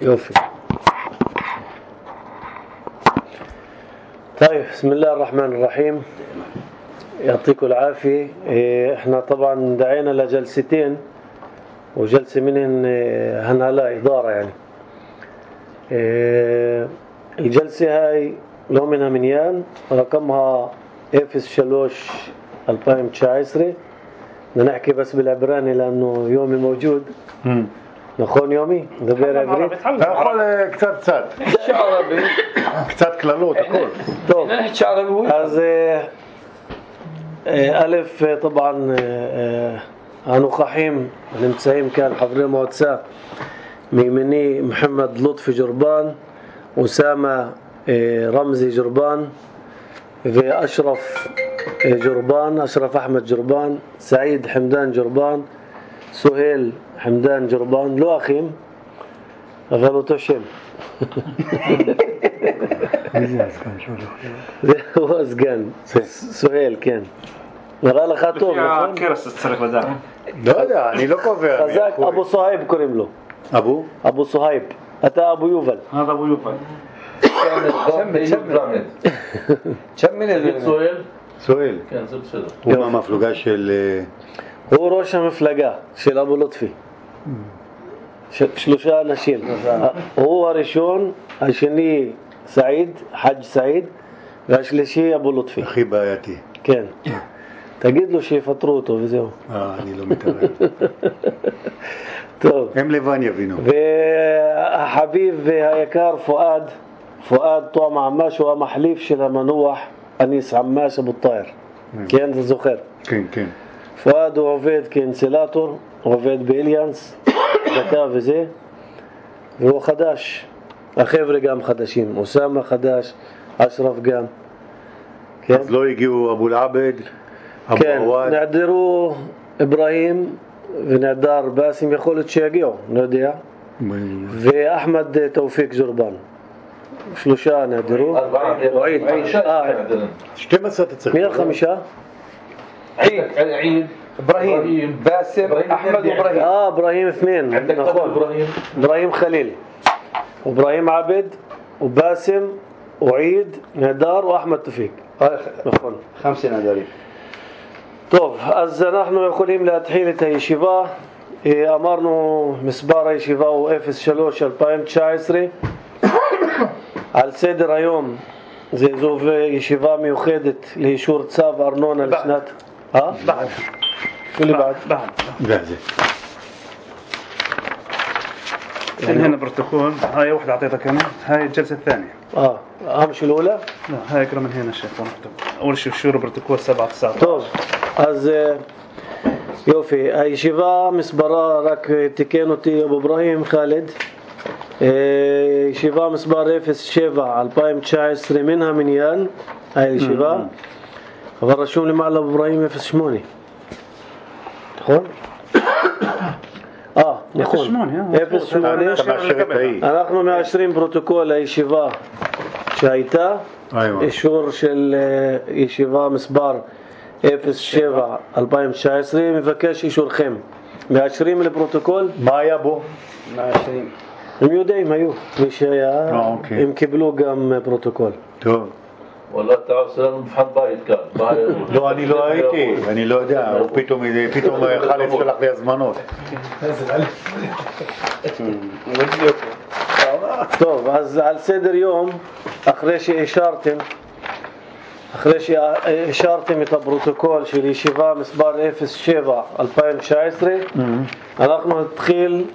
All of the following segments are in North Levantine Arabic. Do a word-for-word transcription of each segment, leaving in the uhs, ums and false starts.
يوفي. طيب، بسم الله الرحمن الرحيم. يعطيكم العافية. احنا طبعا دعينا لجلستين وجلسة منهن هنهلا إدارة يعني. الجلسة هاي لو منها منيان رقمها إفس شلوش ألفين وتسعة. بدنا نحكي بس بالعبراني لأنه يومي موجود. امم نخون يومي دبير عبريت. أقول كتاب ساد. نحكي عربي. كتاب كلالوت أقول. طب. نحكي عربي. אז ألف طبعا הנוכחים הנמצאים כאן חברי מועצה מימיני محمد لطفي جربان, أسامة رمزي جربان, وأشرف جربان, أشرف أحمد جربان, سعيد حمدان جربان, سهيل حمدان جربان. לא אחים, אבל אותו שם. הוא הסגן, סוהל, כן. נראה לך טוב, נכון? לא יודע, אני לא קובע. חזק, אבו סוהייב קוראים לו. אבו? אבו סוהייב. אתה אבו יובל. هذا أبو يوفل. شمل شمل شمل سؤال سؤال كان زبط شده הוא מהמפלגה של... הוא ראש המפלגה של אבו לוטפי. שלושה אנשים. הוא הראשון, השני סעיד, חאג' סעיד, והשלישי אבו לוטפי. הכי בעייתי. כן. תגיד לו שיפטרו אותו וזהו. אה, אני לא מתערב. טוב. הם לבן יבינו. והחביב והיקר פואד, פואד טועם עמאש הוא המחליף של המנוח אניס עמאש אבו טאהר. כן, אתה זוכר? כן, כן. פואד הוא עובד כאינסלטור, עובד באליאנס, דקה וזה, והוא חדש. החבר'ה גם חדשים, אוסאמה חדש, אשרף גם. כן? אז לא הגיעו אבו אל-עבד, אבו כן, עוואד. נעדרו אברהים ונעדר באסים, יכול להיות שיגיעו, לא יודע. ואחמד תאופיק ג'ורבן. שלושה נעדרו. وعيد שתים עשרה תצטרך. מי החמישה? عيد عيد إبراهيم باسم أحمد وإبراهيم. آه إبراهيم اثنين. عندك إبراهيم إبراهيم خليل وإبراهيم عبد وباسم وعيد نادار وأحمد توفيق. נכון. خمسة نادرين. טוב, אז אנחנו יכולים להתחיל את הישיבה. אמרנו מספר הישיבה הוא אפס שלוש אלפיים תשע עשרה. על סדר היום זה זו ישיבה מיוחדת לאישור צו ארנונה לשנת... אה? بعد شو اللي بعد؟ بعد جاهزة. هنا بروتوكول. هاي واحدة أعطيتك أنا. هاي الجلسة الثانية. اه أمشي الأولى؟ لا هاي اقرا من هنا شيخ. أول شيء شورى بروتوكول سبعة تسعة. טוב, אז יופי, הישיבה מספרה, רק תיקן אותי אבו אברהים חאלד, ישיבה מספר אפס שבע אלפיים תשע עשרה מן המניין, הישיבה, אבל רשום למעלה אבו אברהים אפס שמונה, נכון? אה, נכון, אפס שמונה. אנחנו מאשרים פרוטוקול הישיבה שהייתה, אישור של ישיבה מספר אפס שבע אלפיים תשע עשרה, מבקש אישורכם. מאשרים לפרוטוקול? מה היה בו? מאשרים. הם יודעים, היו. מי שהיה, הם קיבלו גם פרוטוקול. טוב. والله تعال سلام مفحط بايت كان. לא, אני לא הייתי, אני לא יודע, הוא פתאום חלץ שלח לי הזמנות. טוב, אז על סדר יום, אחרי שאישרתם, אחרי שאישרתם את הפרוטוקול של ישיבה מספר אפס שבע אלפיים תשע עשרה, אנחנו נתחיל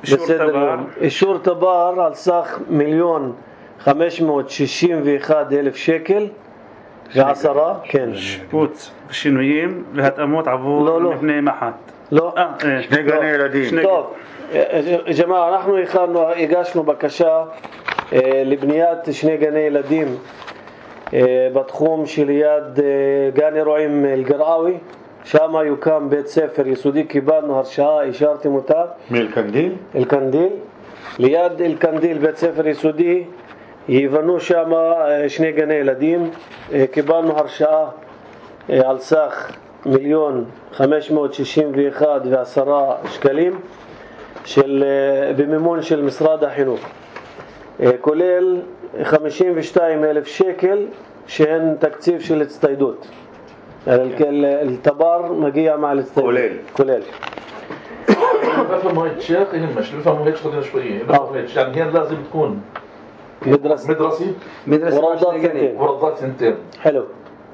בסדר יום. אישור תבר על סך מיליון חמש מאות שישים ואחד אלף שקל ועשרה, כן. שיפוץ ושינויים והתאמות עבור מבני מח"ט. לא. שני גני ילדים. טוב, ג'מאעה, אנחנו הכנו, הגשנו בקשה לבניית שני גני ילדים בתחום שליד גן אירועים אל-גרעאווי, שם יוקם בית ספר יסודי, קיבלנו הרשאה, אישרתם אותה. מאל-קנדיל? אל-קנדיל. ליד אל-קנדיל בית ספר יסודי, יבנו שם שני גני ילדים, קיבלנו הרשאה על סך מיליון חמש מאות שישים ואחד ועשרה שקלים. של במימון של משרד החינוך, כולל חמישים ושתיים אלף שקל שהן תקציב של הצטיידות. التبار مجيء مع الاستيداد كوليل كوليل بفهموا هيك شيخ يهمش بفهموا هيك شغله شويه بفهموا هيك يعني هي لازم تكون مدرسة مدرسه مدرسة ورضات سنتين ورضات سنتين. حلو.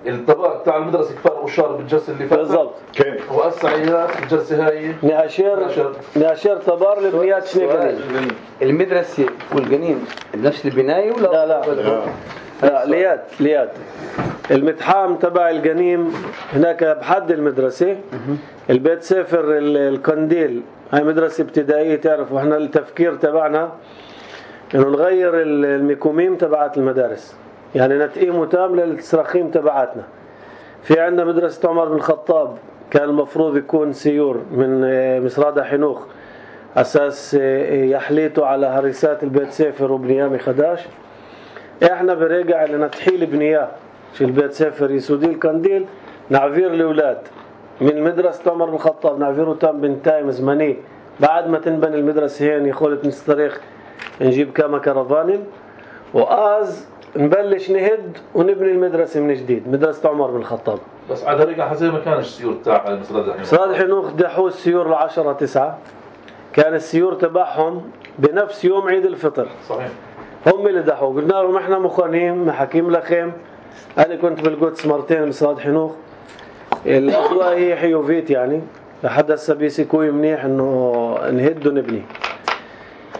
التبار تاع المدرسة كفار وشار بالجلسة اللي فاتت بالضبط. كيف والسعيات الجلسة هاي نعشر نعشر تبار لبنيات شنو قليل. المدرسة والجنين بنفس البناية ولا لا لا لا لا لياد لياد المتحام تبع الجنيم هناك بحد المدرسة. البيت سفر القنديل هاي مدرسة ابتدائية تعرفوا احنا التفكير تبعنا انه نغير الميكوميم تبعات المدارس يعني نتقيمه تام للتراخيم تبعاتنا. في عندنا مدرسة عمر بن الخطاب كان المفروض يكون سيور من مصرادة حنوخ أساس يحليته على هرسات البيت سفر وبنيامي خداش. احنا برجع لنتحيل بنياه في البيت سفر يسودي القنديل نعفير الأولاد من مدرسة عمر بن الخطاب نعفيره تام بنتايم زمني بعد ما تنبني المدرسة هين يخولت نستريخ نجيب كما كرفانين وآز نبلش نهد ونبني المدرسة من جديد مدرسة عمر بن الخطاب. بس على رجع زي ما كان السيور تاع مصراد الحنوخ. مصراد الحنوخ دحوا السيور العشرة تسعة كان السيور تبعهم بنفس يوم عيد الفطر. صحيح. هم اللي دحوا قلنا لهم احنا مخانين محاكيم لخيم. انا كنت بالقدس مرتين مصراد حنوخ الاجواء هي حيوفيت يعني لحد هسه بيسكوي منيح انه نهد ونبني.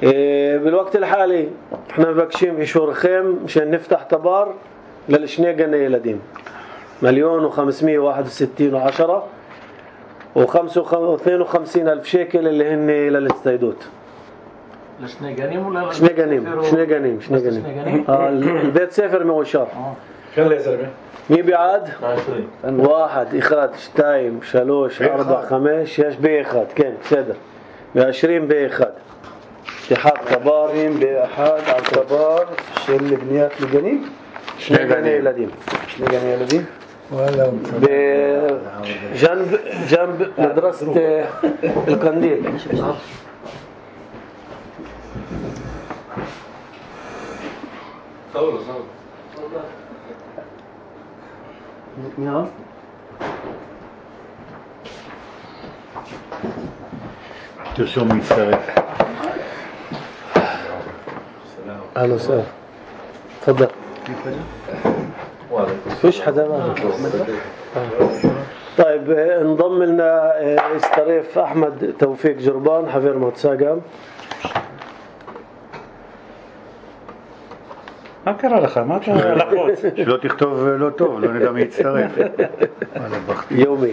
إيه بالوقت الحالي احنا مبكشين في شهور خيم مشان نفتح تبار للشنيقة يلدين مليون وخمسمية واحد وستين وعشرة وخمسة واثنين وخمسين ألف شيكل اللي هن للاستيدوت. الشنيقانيم ولا شنيقانيم شنيقانيم شنيقانيم اه البيت سفر موشار. كم يا زلمه؟ مي بعد واحد إخاد شتايم شلوش أربع خمس شش بيخاد كم سدر بعشرين بيخاد اتحاد تبارين بأحد على تبار شل بنيات الجنين شنيقاني لديم شنيقاني لديم ولا بجنب جنب مدرسة القنديل. صور صور نعم ترسم מצטרף. أهلا وسهلا تفضل. فيش حدا معك. طيب انضم لنا استريف أحمد توفيق جربان حفير موتساقام. מה קרה לך? מה אתה לחוץ? שלא תכתוב לא טוב, לא נדע מי יצטרף. يومي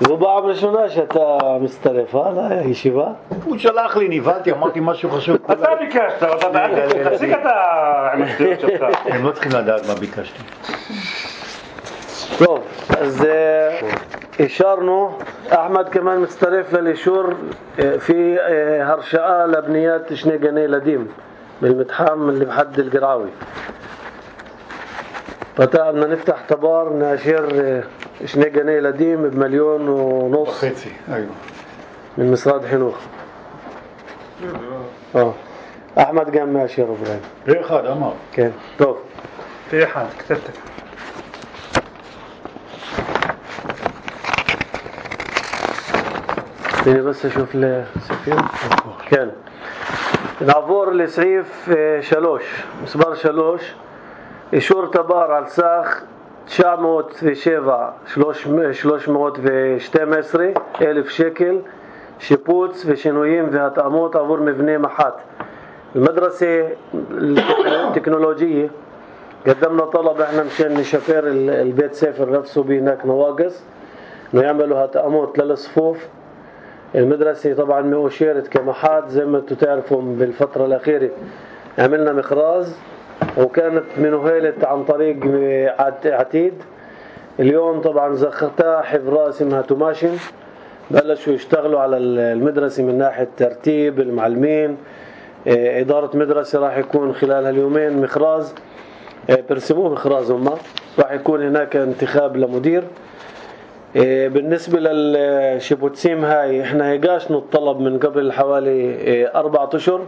זו פעם ראשונה שאתה מצטרף לישיבה? הוא שלח לי, נבהלתי, אמרתי משהו חשוב. אתה ביקשת, אתה בעד, תפסיק אתה עם השטויות שלך. הם לא צריכים לדעת מה ביקשתי. טוב, אז אישרנו, אחמד כמובן מצטרף לאישור في הרשאה לבניית שני גני ילדים بالمتحام اللي بحد القرعاوي. فتاة نفتح تبار ناشر شني جنيه لديم بمليون ونص וחצי, ايوه. من مصراد حنوخ. اه احمد قام ماشي ابراهيم. פה אחד, אמר. כן, טוב. في أحد كتبتك. خليني بس اشوف السفير. كان نعبور لسعيف شلوش مسبار شلوش إشور تبار على ساخ تسعمية وسبعة ثلاثمية واثنين عشر ألف شكل שיפוץ ושינויים והתאמות עבור מבנה מח"ט. المدرسة التكنولوجية قدمنا طلب احنا مشان نشفر البيت سفر نفسه بهناك نواقص انه يعملوا هتأموت للصفوف. المدرسة طبعا مؤشرت كمحات زي ما انتم تعرفوا بالفترة الأخيرة عملنا مخراز وكانت منوهلت عن طريق عتيد. اليوم طبعا زختها حفرة اسمها توماشن بلشوا يشتغلوا على المدرسة من ناحية ترتيب المعلمين. إدارة مدرسة راح يكون خلال هاليومين مخراز برسموه مخراز هم راح يكون هناك انتخاب لمدير. إيه بالنسبة للشيبوتسيم هاي احنا هيقاشنا الطلب من قبل حوالي إيه أربعة أشهر.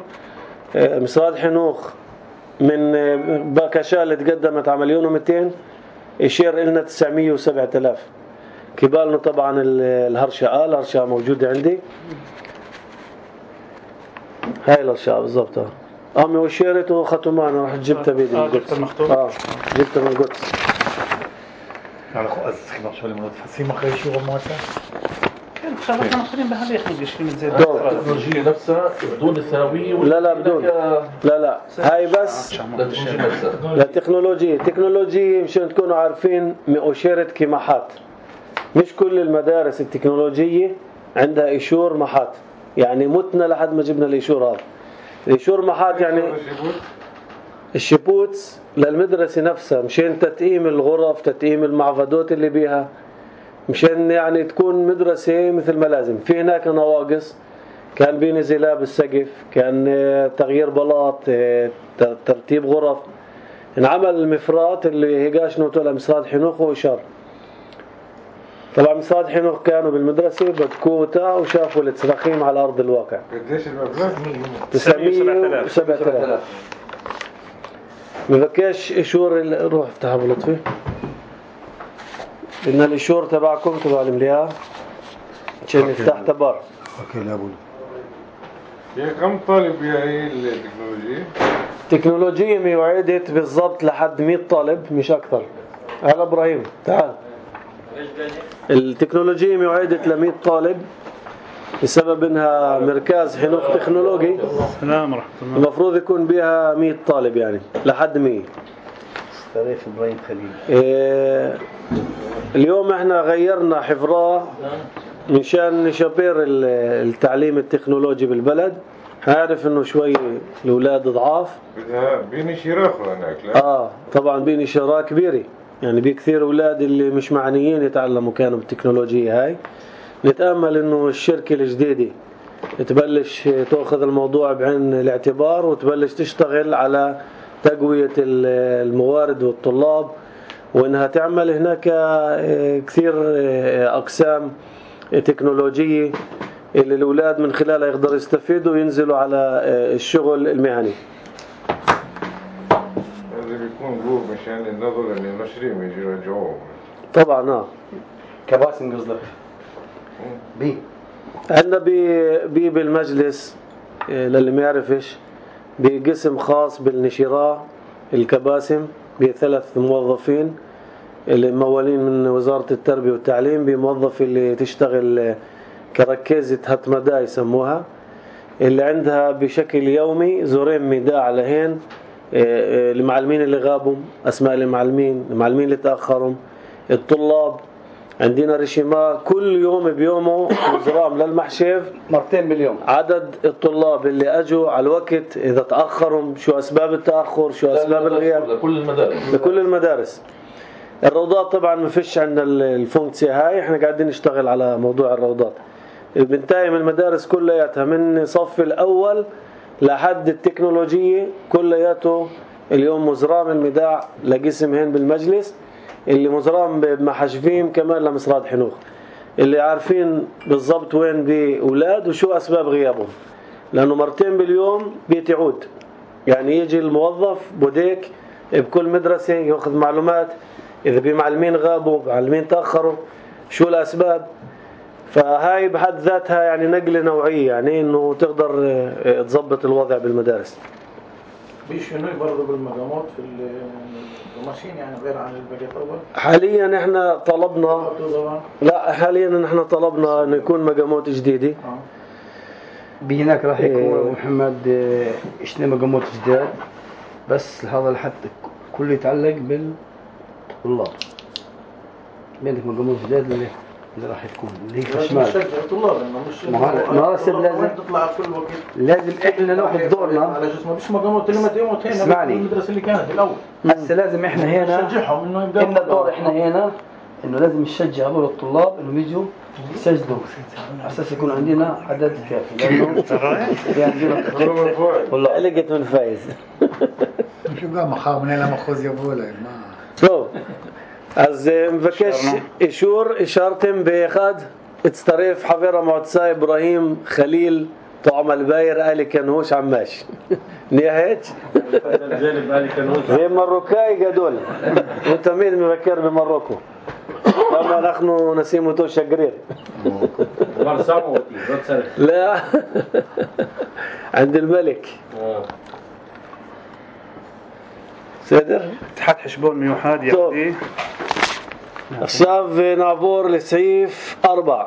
إيه مصرات حنوخ من إيه باكاشال تقدمت على مليون ومئتين، يشير إلنا تسعمية وسبعة آلاف. كبالنا طبعا الهرشة الهرشة موجودة عندي، هاي الهرشة بالضبط. أمي وشيرت وختمان راح جبتها بيدي من القدس. آه جبتها من القدس. אז צריכים עכשיו למנות טפסים אחרי אישור המועצה? כן, עכשיו אנחנו מתחילים בהליך, מגישים את זה. التكنولوجيا نفسها بدون الثانوية لا لا بدون، لا لا هاي بس للتكنولوجيا نفسها. للتكنولوجيا. تكنولوجيا مشان تكونوا عارفين مؤشرة كمحات. مش كل المدارس التكنولوجية عندها إيشور محات، يعني متنا لحد ما جبنا الإيشور هذا. الإيشور محات يعني الشيبوتس للمدرسة نفسها، مشان تتقييم الغرف، تتقييم المعفدات اللي بيها، مشان يعني تكون مدرسة مثل ما لازم. في هناك نواقص، كان بي نزلاب بالسقف، كان تغيير بلاط، ترتيب غرف. انعمل المفرات اللي هيقاش نوتو لمصرات حنوخ وإشار. طبعا مصرات حنوخ كانوا بالمدرسة بدكوتا وشافوا التصرخيم على أرض الواقع. قديش المبلغ؟ تسعمية وسبعة آلاف. مبكاش إشور ال... روح افتحها بلطفي. إن الإشور تبعكم تبع المليئة عشان يفتح تبار. אוקיי, לאבול. في كم طالب هي التكنولوجيا؟ تكنولوجيا ميوعدت بالضبط لحد مية طالب مش أكثر. هلا إبراهيم تعال. التكنولوجيا ميوعدت لمية طالب بسبب إنها مركز حنوخ تكنولوجي. السلام ورحمة الله. المفروض يكون بها مية طالب يعني لحد مية. طريف إبراهيم خليل. إيه اليوم احنا غيرنا حفراه منشان نشبر التعليم التكنولوجي بالبلد. عارف انه شوي الاولاد ضعاف، بدها بيني شراخ هناك لا؟ اه طبعا بيني شراء كبيره، يعني بكثير اولاد اللي مش معنيين يتعلموا كانوا بالتكنولوجيا هاي. نتامل انه الشركه الجديده تبلش تاخذ الموضوع بعين الاعتبار وتبلش تشتغل على تقويه الموارد والطلاب، وانها تعمل هناك كثير اقسام تكنولوجيه اللي الاولاد من خلالها يقدروا يستفيدوا وينزلوا على الشغل المهني. هذا بيكون جوه مشان النظر اللي نشرين يجي يرجعوه. طبعا اه كباسم قصدك؟ بي عندنا بي بي بالمجلس للي ما يعرفش بقسم خاص بالنشراء الكباسم بثلاث موظفين اللي ممولين من وزارة التربية والتعليم، بموظف اللي تشتغل كركزة هتمدا يسموها، اللي عندها بشكل يومي زورين ميداع لهين المعلمين اللي غابوا، أسماء المعلمين، المعلمين اللي تأخروا، الطلاب. عندنا رشيمة كل يوم بيومه وزرام للمحشف مرتين باليوم. عدد الطلاب اللي أجوا على الوقت، إذا تأخروا، شو أسباب التأخر، شو أسباب الغياب. لكل المدارس. لكل المدارس. الروضات طبعا ما فيش عندنا الفونكسيا هاي، احنا قاعدين نشتغل على موضوع الروضات. بنتايم المدارس كلياتها من صف الأول لحد التكنولوجية كلياته اليوم مزرام المداع لقسم هين بالمجلس، اللي مزرام بمحشفين كمان لمصرات حنوخ، اللي عارفين بالضبط وين بأولاد وشو أسباب غيابهم، لأنه مرتين باليوم بيتعود. يعني يجي الموظف بوديك بكل مدرسة يأخذ معلومات، إذا بمعلمين غابوا، معلمين تأخروا، شو الأسباب. فهاي بحد ذاتها يعني نقلة نوعية، يعني إنه تقدر تضبط الوضع بالمدارس. في شنو برضه بالمقامات في القماشين يعني غير عن البقية أول؟ حاليا احنا طلبنا لا حاليا احنا طلبنا انه يكون مقامات جديدة. بهناك راح يكون محمد اثنين مقامات جداد، بس هذا لحتى كله يتعلق بالطلاب. بينك مقامات جداد اللي اللي راح تكون اللي هي شمال. نشجع الطلاب انه مش ما هذا السبب لازم تطلع كل وقت. لازم احنا ناخذ دورنا على اساس ما فيش مقامات اللي ما تيوم وتهينا المدرسة اللي كانت الأول. هسه لازم احنا هنا نشجعهم انه يبدأوا. إن الدور احنا هنا انه لازم نشجع هذول الطلاب انهم يجوا يسجلوا على اساس يكون عندنا عدد كافي، لانه في عندنا والله علقت من فايز. شو بقى محار منين المخوز يبغوا لك ما شوف אז מבקש אישור, אישרתם באחד, הצטרף חבר המועצה איברהים חליל طعم الباير آل كنهوش عماش نهاية هي مروكاي جدول وتميد مفكر بمروكو لما نحن نسيمه شقرير لا عند الملك سيدر اتحاد حشبون ميوحاد يعني. עכשיו נעבור לסעיף ארבע.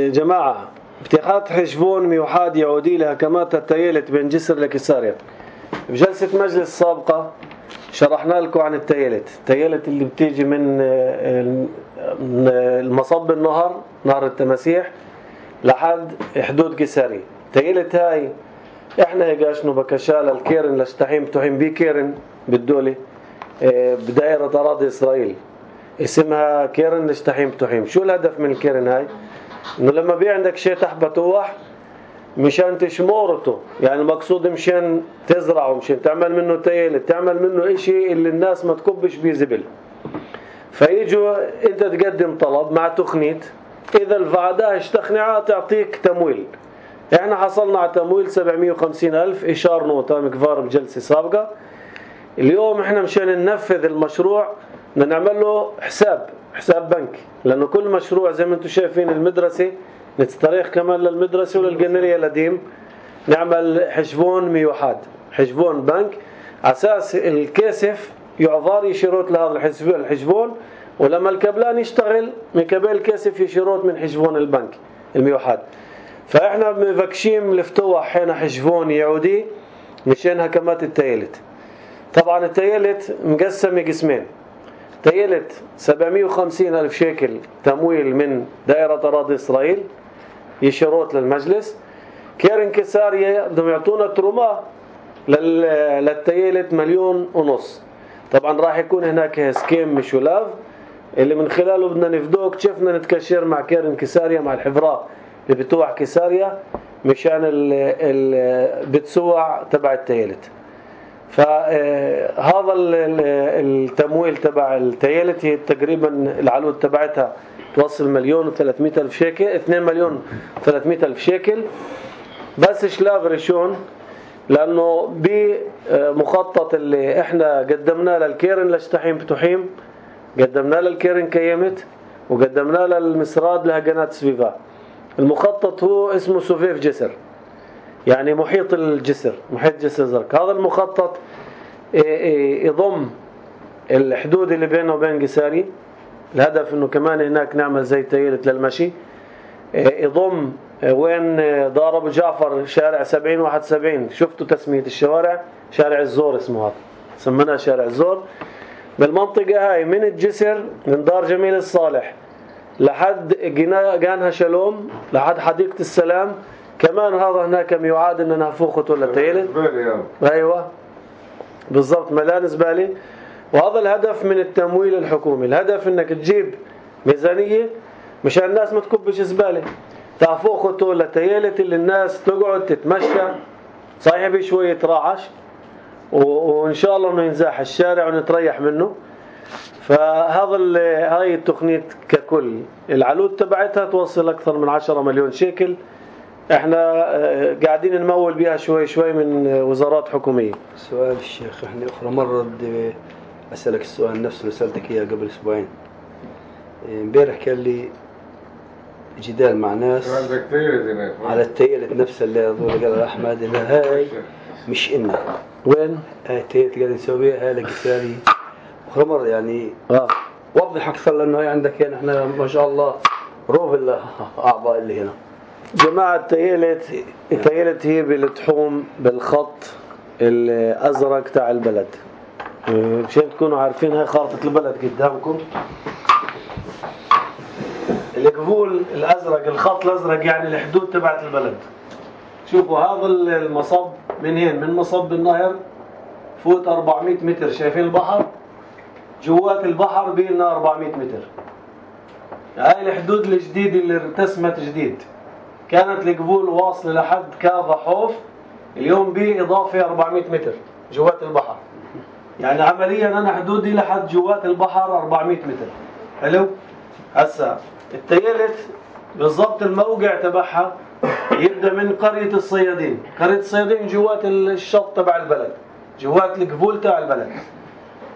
جماعة اتخاذ حشبون ميوحاد يعودي لهكمات التيلت بين جسر لكساريا. بجلسة مجلس السابقة شرحنا لكم عن التيلت التيلت اللي بتيجي من المصب النهر نهر التماسيح لحد حدود كساريا. التيلت هاي احنا هيقاشنو بكشال الكيرن لشتحيم تحيم بي كيرن بالدولة بدائرة أراضي إسرائيل اسمها كيرن لشتحيم تحيم. شو الهدف من الكيرن هاي؟ انه لما بي عندك شيء تحت بتوح مشان تشمورته، يعني المقصود مشان تزرعه، مشان تعمل منه تيلت، تعمل منه اشي اللي الناس ما تكبش بيه زبل. فيجوا انت تقدم طلب مع تخنيت، اذا الفعداء اشتخنعها تعطيك تمويل. احنا حصلنا على تمويل سبعمية وخمسين ألف إشار نوطة مكفار بجلسة سابقة. اليوم احنا مشان ننفذ المشروع بدنا نعمل له حساب حساب بنك، لأنه كل مشروع زي ما انتم شايفين المدرسة نستريح كمان للمدرسة وللجنرية القديم نعمل حشبون ميوحاد حشبون بنك أساس الكاسف يعذار يشيروت لهذا الحشبون، ولما الكبلان يشتغل من قبل الكاسف يشيروت من حشبون البنك الميوحاد. فإحنا مفكشين لفتوح حين حشبون يعودي مشان هكمات التيلت. طبعا التيلت مقسم قسمين، تيلت سبعمية وخمسين ألف شيكل تمويل من دائرة أراضي إسرائيل يشيروت للمجلس. كيرن كساريا بدهم يعطونا تروما للتيلت مليون ونص. طبعا راح يكون هناك اسكيم مشولاف اللي من خلاله بدنا نفدوك شفنا نتكشر مع كيرن كساريا مع الحفراء اللي بتوع كساريا مشان البتسوع تبع التيلت. فهذا التمويل تبع التيلت هي تقريبا العلود تبعتها توصل مليون وثلاثمية ألف شيكل اثنين مليون وثلاثمية ألف شيكل بس شلاف ريشون، لأنه بمخطط اللي احنا قدمناه للكيرن لشتحيم بتحيم قدمناه للكيرن كيمت وقدمناه للمسراد لهجنات سفيفا. المخطط هو اسمه سوفيف جسر، يعني محيط الجسر محيط جسر زرق. هذا المخطط يضم الحدود اللي بينه وبين قساري، الهدف انه كمان هناك نعمل زي تيلت للمشي، يضم وين دار ابو جعفر شارع سبعين واحد وسبعين شفتوا تسمية الشوارع شارع الزور اسمه هذا سمناه شارع الزور. بالمنطقة هاي من الجسر من دار جميل الصالح لحد جانها شلوم لحد حديقة السلام كمان هذا هناك ميعاد ان نفوخته للتيلت. ايوه بالضبط ملان زبالة. وهذا الهدف من التمويل الحكومي، الهدف انك تجيب ميزانية مشان الناس ما تكبش زبالة، تفوخته للتيلت اللي الناس تقعد تتمشى صحيح بشوية رعش وان شاء الله انه ينزاح الشارع ونتريح منه. فهذا هاي التقنية ككل العلود تبعتها توصل اكثر من عشرة مليون شيكل. احنا قاعدين نمول بيها شوي شوي من وزارات حكومية. سؤال الشيخ، احنا اخرى مرة بدي اسألك السؤال نفسه اللي سألتك اياه قبل اسبوعين. امبارح كان لي جدال مع ناس على التيلت نفسها اللي هذول قال احمد انها هاي مش إنا وين هاي التيلت اللي نسويها هاي لقساري اخرى مرة يعني اه وضح اكثر لانه هي عندك يعني احنا ما شاء الله روف الاعضاء اللي هنا. جماعة التيلت التيلت هي بتحوم بالخط الأزرق تاع البلد مشان تكونوا عارفين. هاي خارطة البلد قدامكم، الجفول الأزرق الخط الأزرق يعني الحدود تبعت البلد. شوفوا هذا المصب من هين من مصب النهر فوت أربعمية متر، شايفين البحر جوات البحر بينا أربعمية متر. هاي الحدود الجديدة اللي ارتسمت جديد، كانت الجفول واصلة لحد كافة حوف، اليوم بإضافة أربعمية متر جوات البحر. يعني عمليا أنا حدودي لحد جوات البحر أربعمية متر. حلو. هسا التيالت بالضبط الموقع تبعها يبدأ من قرية الصيادين. قرية الصيادين جوات الشط تبع البلد، جوات القبول تبع البلد.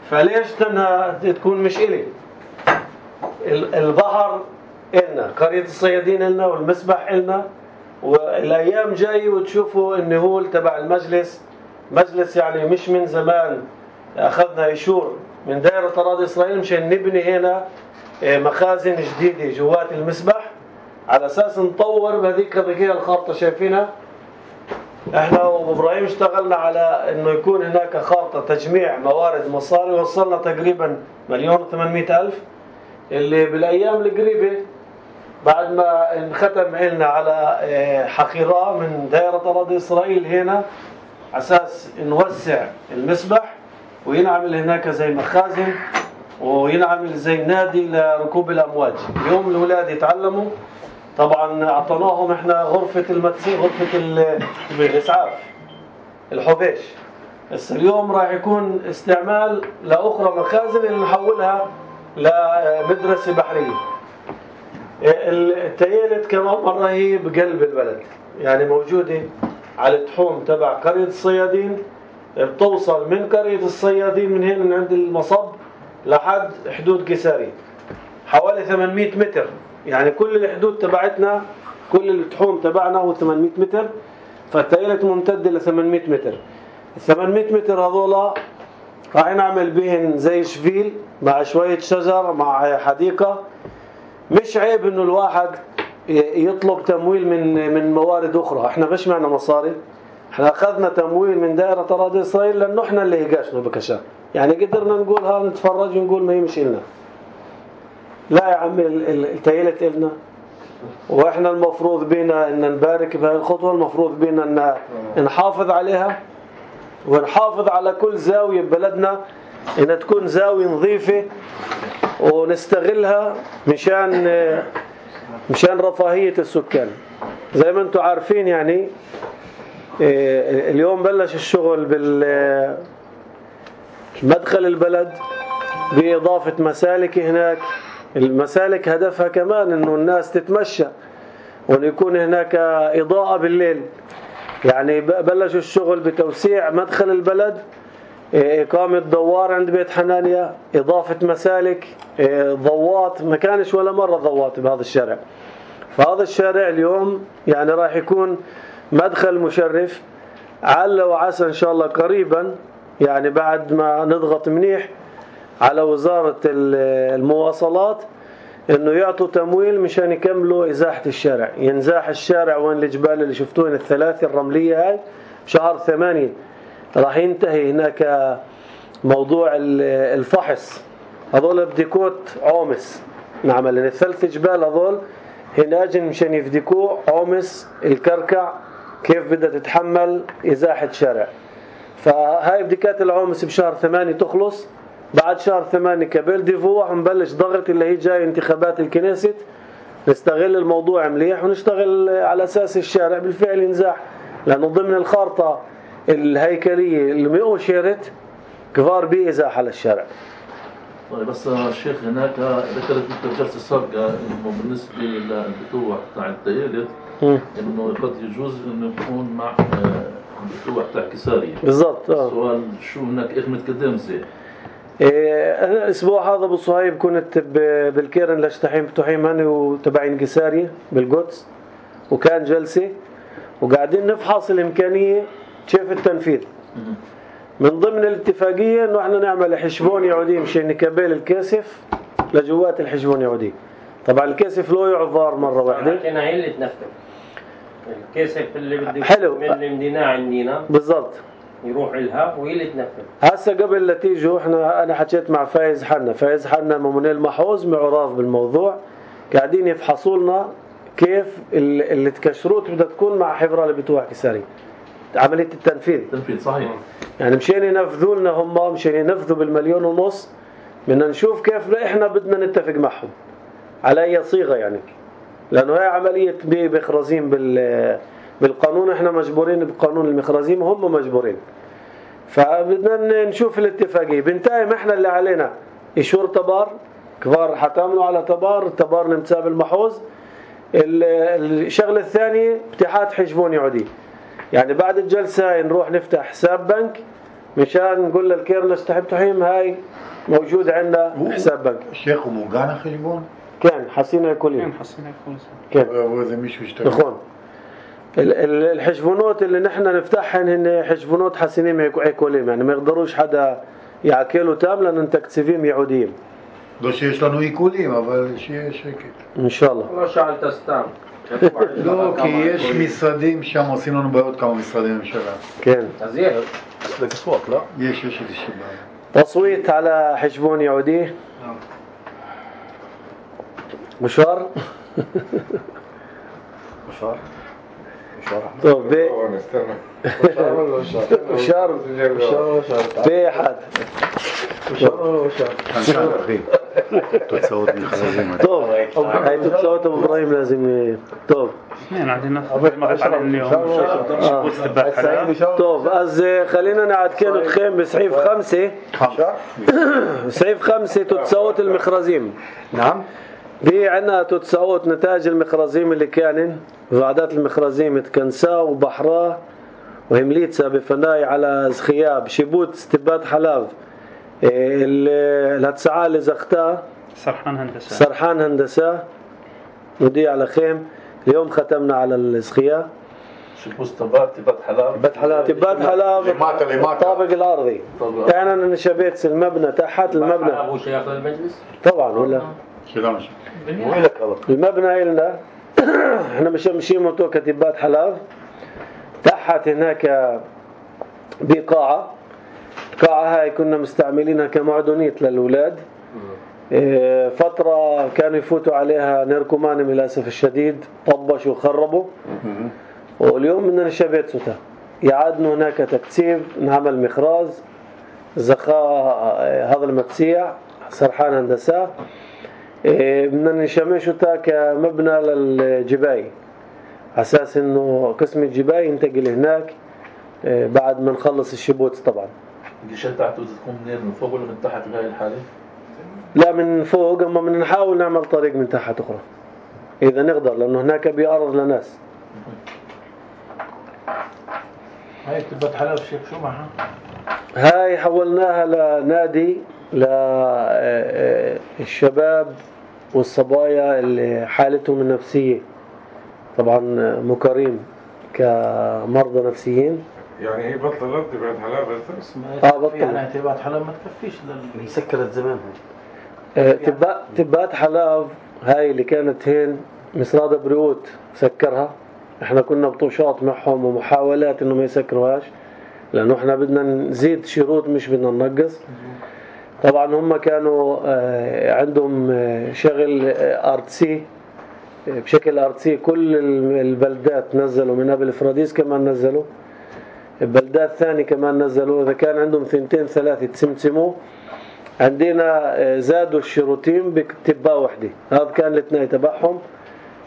فليش تنها تكون مش إلي؟ البحر إلنا، قرية الصيادين إلنا، والمسبح إلنا. والأيام جاي وتشوفوا النهول تبع المجلس، مجلس يعني مش من زمان أخذنا إيشور من دائرة أراضي إسرائيل مشان نبني هنا مخازن جديدة جوات المسبح على أساس نطور بهذيك هذيك الخارطة شايفينها. احنا وابراهيم اشتغلنا على انه يكون هناك خارطة تجميع موارد مصاري، وصلنا تقريبا مليون وثمانمائة الف، اللي بالايام القريبة بعد ما انختم علنا على حقيرة من دائرة أراضي إسرائيل هنا أساس نوسع المسبح وينعمل هناك زي مخازن وينعمل زي نادي لركوب الأمواج. اليوم الأولاد يتعلموا، طبعا أعطيناهم احنا غرفة المدس غرفة الإسعاف الحبيش، بس اليوم راح يكون استعمال لأخرى مخازن اللي نحولها لمدرسة بحرية. التيالت كمان مرة هي بقلب البلد، يعني موجودة على التحوم تبع قرية الصيادين، بتوصل من قرية الصيادين من هنا من عند المصب لحد حدود قيسارية حوالي ثمانمائة متر. يعني كل الحدود تبعتنا كل التحوم تبعنا هو ثمانمائة متر، فالتيالت ممتد ل ثمانمائة متر. ال ثمانمائة متر هذولا راح نعمل بهن زي شفيل مع شوية شجر مع حديقة. مش عيب انه الواحد يطلب تمويل من من موارد اخرى، احنا مش معنا مصاري، احنا اخذنا تمويل من دائرة أراضي إسرائيل لانه احنا اللي هيقاشنا بكشا، يعني قدرنا نقول ها نتفرج ونقول ما هي مش إلنا. لا يا عمي التيالت إلنا، واحنا المفروض بينا ان نبارك بهذه الخطوة، المفروض بينا ان نحافظ عليها ونحافظ على كل زاوية ببلدنا ان تكون زاوية نظيفة ونستغلها مشان مشان رفاهية السكان. زي ما انتم عارفين يعني اليوم بلش الشغل بالمدخل البلد بإضافة مسالك هناك. المسالك هدفها كمان انه الناس تتمشى وان يكون هناك إضاءة بالليل. يعني بلشوا الشغل بتوسيع مدخل البلد، إقامة دوار عند بيت حنانيا، إضافة مسالك، ضوات. ما كانش ولا مرة ضوات بهذا الشارع. فهذا الشارع اليوم يعني راح يكون مدخل مشرف. عل وعسى إن شاء الله قريبا، يعني بعد ما نضغط منيح على وزارة المواصلات إنه يعطوا تمويل مشان يكملوا إزاحة الشارع. ينزاح الشارع وين الجبال اللي شفتوين الثلاثة الرملية هاي بشهر ثمانية. راح ينتهي هناك موضوع الفحص، هذول بديكوت عومس نعمل الثلاث جبال هذول هناجن مشان يفديكوا عومس الكركع كيف بدها تتحمل إزاحة شارع. فهاي بديكات العومس بشهر ثمانية تخلص. بعد شهر ثمانية كابيل ديفوع نبلش ضغط اللي هي جاي انتخابات الكنيست، نستغل الموضوع مليح ونشتغل على أساس الشارع بالفعل ينزاح، لأنه ضمن الخارطة الهيكلية اللي مؤشرت كبار بإزاحة للشارع. طيب بس الشيخ هناك ذكرت في الجلسة السابقة إنه بالنسبة للبتوع تاع التيالت إنه قد يجوز إنه يكون مع البتوع تاع كسارية. بالضبط. السؤال شو هناك إيش متقدم زي؟ أنا الأسبوع هذا أبو صهيب كنت بالكيرن لشتحيم بتوحيم هني وتبعين كسارية بالقدس، وكان جلسة وقاعدين نفحص الإمكانية كيف التنفيذ. من ضمن الاتفاقية إنه إحنا نعمل حشبون يعودي مشان نكبل الكاسف لجوات الحشبون يعودي. طبعا الكاسف لو يعذر مرة واحدة. لكن هي اللي تنفذ الكاسف اللي بده حلو من المدينة عندنا بالضبط يروح لها وهي اللي تنفذ. هسه قبل لا تيجوا إحنا أنا حكيت مع فايز حنا، فايز حنا ممنوع المحوز معراف بالموضوع، قاعدين يفحصوا لنا كيف اللي تكشروت بدها تكون مع حفرة اللي بتوع كساري عملية التنفيذ. تنفيذ صحيح. يعني مشان ينفذوا لنا هم مشان ينفذوا بالمليون ونص، بدنا نشوف كيف احنا بدنا نتفق معهم على اي صيغه، يعني لانه هي عمليه بمخرزين بال بالقانون، احنا مجبورين بقانون المخرزين وهم مجبورين. فبدنا نشوف الاتفاقية. بنتايم احنا اللي علينا إشور تبار كبار حتعملوا على تبار تبار نمساه بالمحوظ. الشغلة الثانية اتحاد حجبون يعودي، يعني بعد الجلسة نروح نفتح حساب بنك مشان نقول للكيرلس تحب تحيم هاي موجود عندنا حساب بنك. الشيخ وموقعنا خجبون كان حسينا كلين كان حسينا كل كان وإذا مش مشتغل نخون الحجبونات اللي نحن نفتحهن هن حجبونات حسينين عيكولين، يعني ما يقدروش حدا يعكلوا تام لأن تكتسيفيم يعوديين. לא שיש לנו עיקולים, אבל שיהיה שקט. إن شاء الله. לא שאלת סתם. לא, כי יש משרדים שם עושים לנו בעיות כמה משרדי ממשלה. כן. אז יש. יש, יש איזושהי בעיה. تصويت على حجبون يعودي. مشوار. مشوار مشوار طب ب نستنى مشوار بأحد. חנשן, אחי. תוצאות מכרזים. طب هاي تتصوت أبو إبراهيم لازم. طب اثنين عندنا مرت عليهم اليوم شبوت تبع حلال. طب אז خلينا نعدكن أتخيم بسعيف خمسة. سعيف خمسة تتصوت المخرزين. نعم. دي عنا تتصوت نتاج المخرزين اللي كانن وعدات المخرزين تكنسا وبحراه وهمليتسا بفناي على زخياب شبوت استبات حلاف الهتسعى اللي زختها سرحان هندسة سرحان هندسة ودي على خيم. اليوم ختمنا على الزخية شبوس تبات تبات حلاب تبات حلاب تبات حلاب لماتا لماتا الطابق الأرضي. يعني أنا نشبيت المبنى تحت المبنى هو شيخ للمجلس؟ طبعا ولا שלנו. المبنى إلنا احنا مش مشي موتو كتبات حلاب تحت هناك بقاعة. القاعة هاي كنا مستعملينها كمعدونيت للأولاد. فترة كانوا يفوتوا عليها نيركومان للأسف الشديد طبشوا وخربوا. واليوم بدنا نشبيت سوتا يعادنا هناك تكتيب نعمل مخراز زخاء هذا المتسيع سرحان هندسة. بدنا نشمشوتا كمبنى للجباي أساس إنه قسم الجباي ينتقل هناك بعد ما نخلص الشبوت. طبعا الجيشات تحته تكون منين من فوق ولا من تحت بهاي الحالة؟ لا من فوق، أما من نحاول نعمل طريق من تحت أخرى إذا نقدر لأنه هناك بيعرض لناس. هاي تبات حلب شيخ شو معها؟ هاي حولناها لنادي للشباب والصبايا اللي حالتهم النفسية طبعا مكرين كمرضى نفسيين. يعني هي بطلت تبات حلب بس؟ اه بطل يعني تبات حلب ما تكفيش لل... هي سكرت زمان. آه تبات تبات حلب هاي اللي كانت هين مصراد بريوت سكرها. احنا كنا بطوشات معهم ومحاولات انه ما يسكروهاش لانه احنا بدنا نزيد شروط مش بدنا ننقص. طبعا هم كانوا آه عندهم آه شغل آه ارتسي بشكل ارتسي. كل البلدات نزلوا من قبل فراديس كمان نزلوا البلدات ثاني كمان نزلوا. إذا كان عندهم ثنتين ثلاثة تسمسموا عندنا زادوا الشروطين بكتبة واحدة. هذا كان الاثنين تبعهم.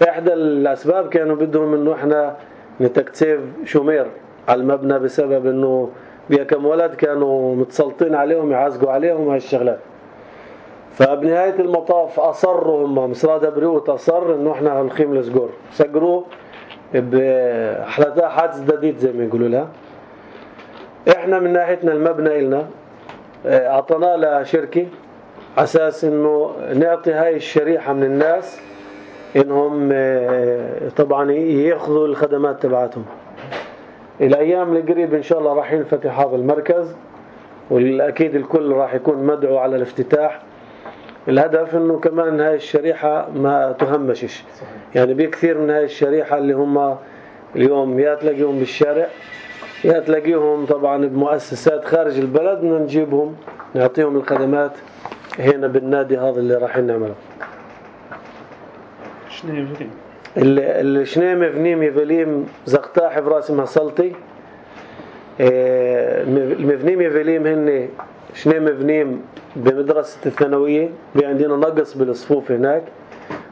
إحدى الأسباب كانوا بدهم إنه إحنا نتكتسب شمير على المبنى بسبب إنه بيا كم ولد كانوا متسلطين عليهم يعزقوا عليهم هاي الشغلات. فبنهاية المطاف أصروا هم مصراد بريوت أصر إنه إحنا هنخيم الزجور سجروا بحلتها حادث جديد زي ما يقولوا لها. إحنا من ناحيتنا المبنى إلنا أعطنا لشركة أساس إنه نعطي هاي الشريحة من الناس إنهم طبعا يأخذوا الخدمات تبعتهم. الأيام القريب إن شاء الله راح ينفتح هذا المركز والأكيد الكل راح يكون مدعو على الافتتاح. الهدف إنه كمان هاي الشريحة ما تهمشش. يعني بكثير من هاي الشريحة اللي هم اليوم يا تلاقيهم بالشارع يا تلاقيهم طبعا بمؤسسات خارج البلد بدنا نجيبهم نعطيهم الخدمات هنا بالنادي هذا اللي راح نعمله. شنو يفليم؟ الشنيمة فنيم يفليم زقتاح براسمها سلطي. المفنيم يفليم هن شنيمة فنيم بمدرسة الثانوية. بي عندنا نقص بالصفوف هناك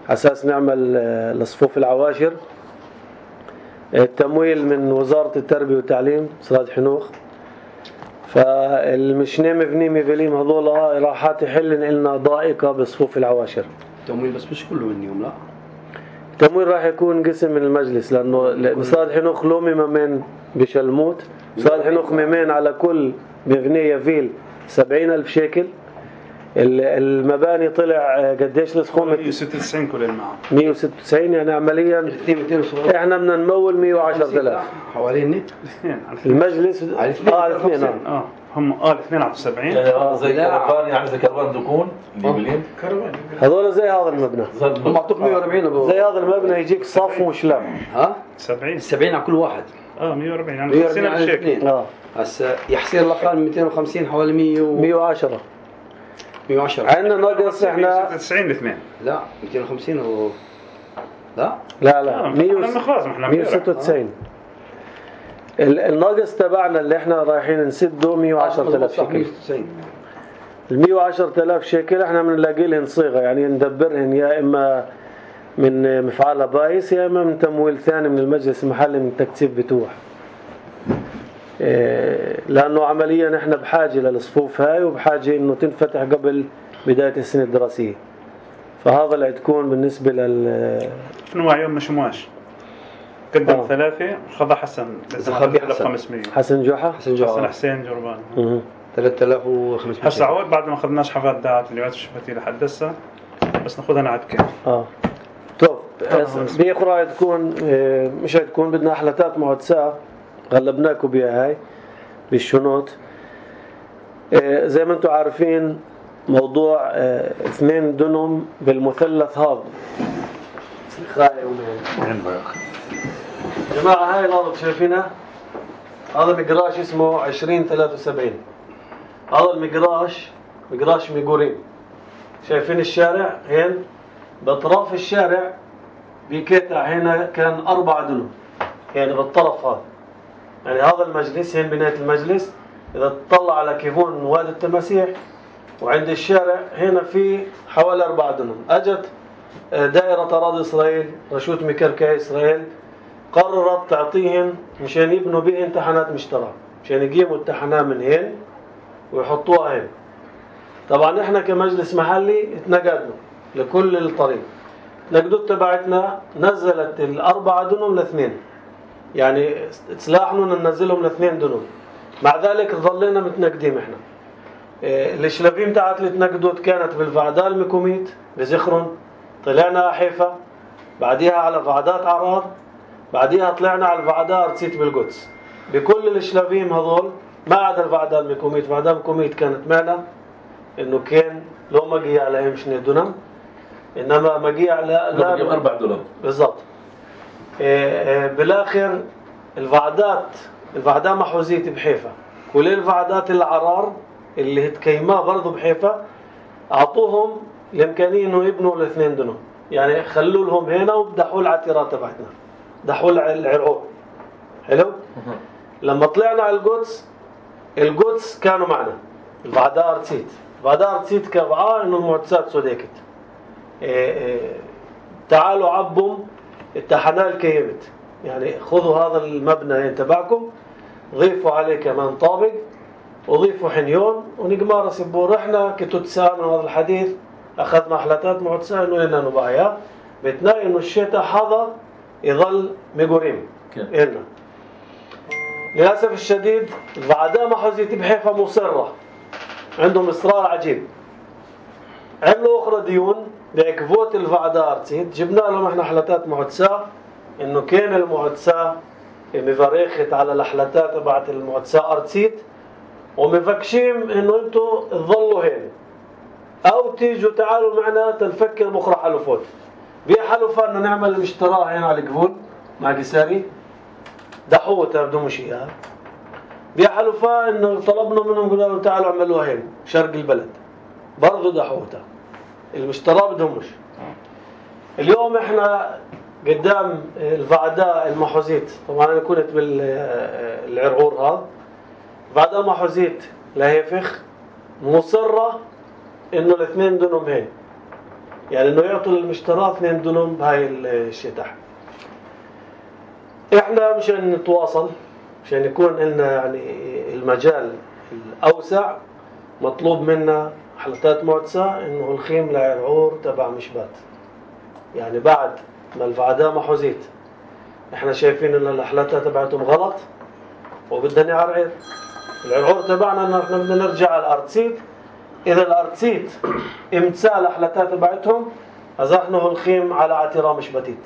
أساس نعمل الصفوف العواشر. التمويل من وزارة التربية والتعليم سراج حنوخ. فالمشني مبني ميفيليم هذول راح تحلن لنا ضائقة بصفوف العواشر. التمويل بس مش كله منهم لا. التمويل راح يكون قسم من المجلس لأنه مصاد حنوخ لومي ممن بشلموت، مصاد حنوخ ممن على كل مبنية فيل سبعين ألف شيكل. المباني طلع قديش السخومة؟ مية وستة وتسعين كل المعه مية وستة وتسعين يعني عمليا احنا بدنا نمول مية وعشرة آلاف حوالين المجلس اه على الاثنين اه هم اه الاثنين على سبعين يعني هذا زي كرفان، يعني زي كرفان دكون اللي كروان هذول زي هذا المبنى، هم اعطوك مية وأربعين زي هذا المبنى يجيك صف وشلام. ها سبعين سبعين على كل واحد. اه مية وأربعين يعني مية خمسين وأربعين ألف على شيكل. الاثنين. اه هسا يحصير الأقل مئتين وخمسين حوالي مية و مية وعشرة مية وعشرة. عندنا ناقص مية احنا وستة وتسعين الاثنين. لا مئتين وخمسين و لا لا لا آه، مية احنا خلاص احنا مية وستة وتسعين. ال- الناقص تبعنا اللي احنا رايحين نسده مية وعشرة آلاف شيكل. ال مية وعشرة آلاف شيكل احنا بنلاقي لهن صيغه، يعني ندبرهن يا اما من مفعال بايس يا اما من تمويل ثاني من المجلس المحلي من تكثيف بتوح. إيه لانه عمليا احنا بحاجه للصفوف هاي وبحاجه انه تنفتح قبل بدايه السنه الدراسيه. فهذا اللي تكون بالنسبه لل شنو يوم مشمواش قدم آه. ثلاثة خذ حسن خذ حسن. خمسمية حسن جحا حسن جوعة حسن حسين جربان. اها ثلاثة آلاف وخمسمية. هسا عود بعد ما اخذناش حفلات دعوات اللي الشفتي لحد هسه بس ناخذها نعد كيف. اه طب بأخرى تكون اه مش هتكون بدنا حلتات معدسة غلبناكم بها هاي بالشنوط. اه زي ما انتم عارفين موضوع اه اثنين دنم بالمثلث هذا خاي ومين جماعة هاي الأرض شايفينها؟ هذا مقراش اسمه عشرين ثلاثة وسبعين. هذا المقراش مقراش ميقورين. شايفين الشارع هين بأطراف الشارع بكتع هنا كان أربعة دنم يعني بالطرف هذا، يعني هذا المجلس هين بناية المجلس إذا تطلع على كيفون وادي التماسيح وعند الشارع هنا في حوالي أربعة دنم. أجت دائرة أراضي إسرائيل رشوة مكركة إسرائيل قررت تعطيهم مشان يبنوا به امتحانات مشترى مشان يقيموا الامتحانات من هين ويحطوها هين. طبعا احنا كمجلس محلي اتنقدنا لكل الطريق. نقدوت تبعتنا نزلت الأربعة دنم لاثنين، يعني سلاحنا ننزلهم لاثنين دنم. مع ذلك ظلينا متنقدين احنا. اه الشلافين تاعت اللي تنقدوت كانت بالفعداء المكوميت بزخرن، طلعنا حيفا، بعديها على فعدات عرار، بعديها طلعنا على الفعداء ارتسيت بالقدس. بكل الشلافين هذول ما عدا الفعداء المكوميت. الفعداء المكوميت كانت معنا انه كان لو مجيء عليهم شنو دنم، انما مجيء على لا مجيء اربع دنم بالضبط. بالاخر الفعدات الفعداء محوزيت بحيفا، كل الفعدات العرار اللي هتكيماه برضه بحيفا اعطوهم الامكانيه انه يبنوا الاثنين دنم، يعني خلوا لهم هنا وبدحوا العتيرات تبعتنا دحوا العرعور. حلو. لما طلعنا على القدس القدس كانوا معنا الفعداء ارتسيت. الفعداء ارتسيت كبعاه انه المعتسات سوديكت إيه إيه تعالوا عبوا التحنال كيمت، يعني خذوا هذا المبنى تبعكم ضيفوا عليه كمان طابق وضيفوا حنيون ونقمار سبور. احنا كتتساء من هذا الحديث اخذنا حلتات معتسة انه لنا نبايا بتناي انه الشتاء هذا يظل ميقوريم إلنا. للأسف الشديد الفعداء محوزيت بحيفا مصرة، عندهم إصرار عجيب. عملوا أخرى ديون بعكفوت الفعداء أرتسيت، جبنا لهم احنا حلتات معتسة إنه كان المعتسة مفرخت على الحلتات تبعت المعتسة أرتسيت ومفكشين إنه أنتوا تظلوا هين أو تيجوا تعالوا معنا تنفكر بأخرى حلفوت. بيا حلفة إنه نعمل المشتراء هنا على القفول مع قساري دحوه تبدو مشيها. بيا حلفة إنه طلبنا منهم قلنا لهم تعالوا عملوها هين شرق البلد برضو دحوته. المشتراء بدهمش. اليوم احنا قدام الفعداء المحوزيت، طبعا انا كنت بالعرعور هذا فعداء محوزيت لهيفخ مصرة انه الاثنين دنم هين، يعني انه يعطوا المشتراء اثنين دنم بهاي الشتاء. احنا مشان نتواصل مشان يكون لنا يعني المجال الأوسع مطلوب منا حلقات معتسة إنه الخيم لعرعور تبع مشبات. يعني بعد ما الفعداء ما حوزيت إحنا شايفين إن الأحلاتة تبعتهم غلط وبدنا نعرعر. العرعور تبعنا إنه إحنا بدنا نرجع على الأرتسيت. إذا الأرتسيت امتثال الأحلاتة تبعتهم أزحنه الخيم على اعتراء مشبتيت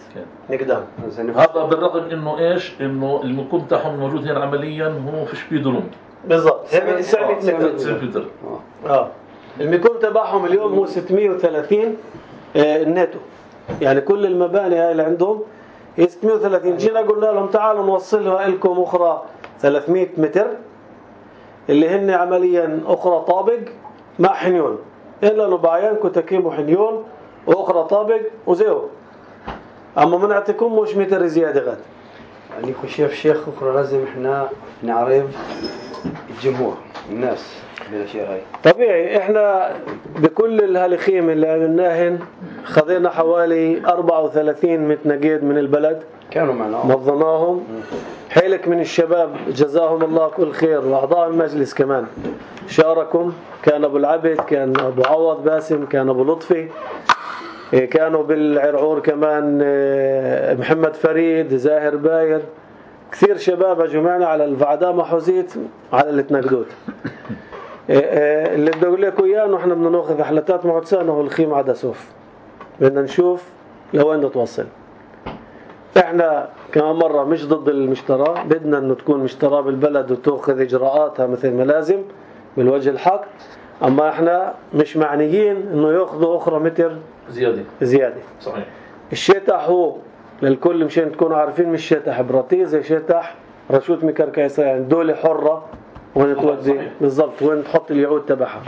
نقدام. هذا بالرغم إنه إيش إنه المكون تاعهم موجود هنا عمليا هو فيش بيدروم بالضبط سبعمية متر. اه المكون تبعهم اليوم هو ستمية وثلاثين آه الناتو. يعني كل المباني هاي اللي عندهم هي ستمية وثلاثين. جينا قلنا لهم تعالوا نوصلها لكم أخرى ثلاثمية متر اللي هن عمليا أخرى طابق مع حنيون إلا أنه بعيانكم تكيم وحنيون وأخرى طابق وزيو. أما ما نعطيكم مش متر زيادة غاد. يعني كل شيء في شيخ أخرى لازم إحنا نعرف الجمهور الناس بالأشياء هاي. طبيعي إحنا بكل الهالخيم اللي عملناهن خذينا حوالي أربعة وثلاثين متنقيد من البلد كانوا معنا نظمناهم. حيلك من الشباب جزاهم الله كل خير وأعضاء المجلس كمان شاركوا. كان أبو العبد، كان أبو عوض باسم، كان أبو لطفي، كانوا بالعرعور كمان محمد فريد، زاهر باير، كثير شباب جمعنا على الفعداء محوزيت على الاتناقدوت. اللي بدي أقول لكم إياه إنه إحنا بدنا نأخذ أحلاتات معتسانة والخيم عدا سوف. بدنا نشوف لوين نتوصل. إحنا كمان مرة مش ضد المشترى، بدنا إنه تكون مشترى بالبلد وتأخذ إجراءاتها مثل ما لازم بالوجه الحق. أما إحنا مش معنيين إنه يأخذوا أخرى متر زيادة زيادة. صحيح. الشتح هو للكل مشان تكونوا عارفين مش شتح براتي زي شتح رشوت مكركة. يعني دولة حرة وين تودي بالضبط وين تحط اليعود تبعها.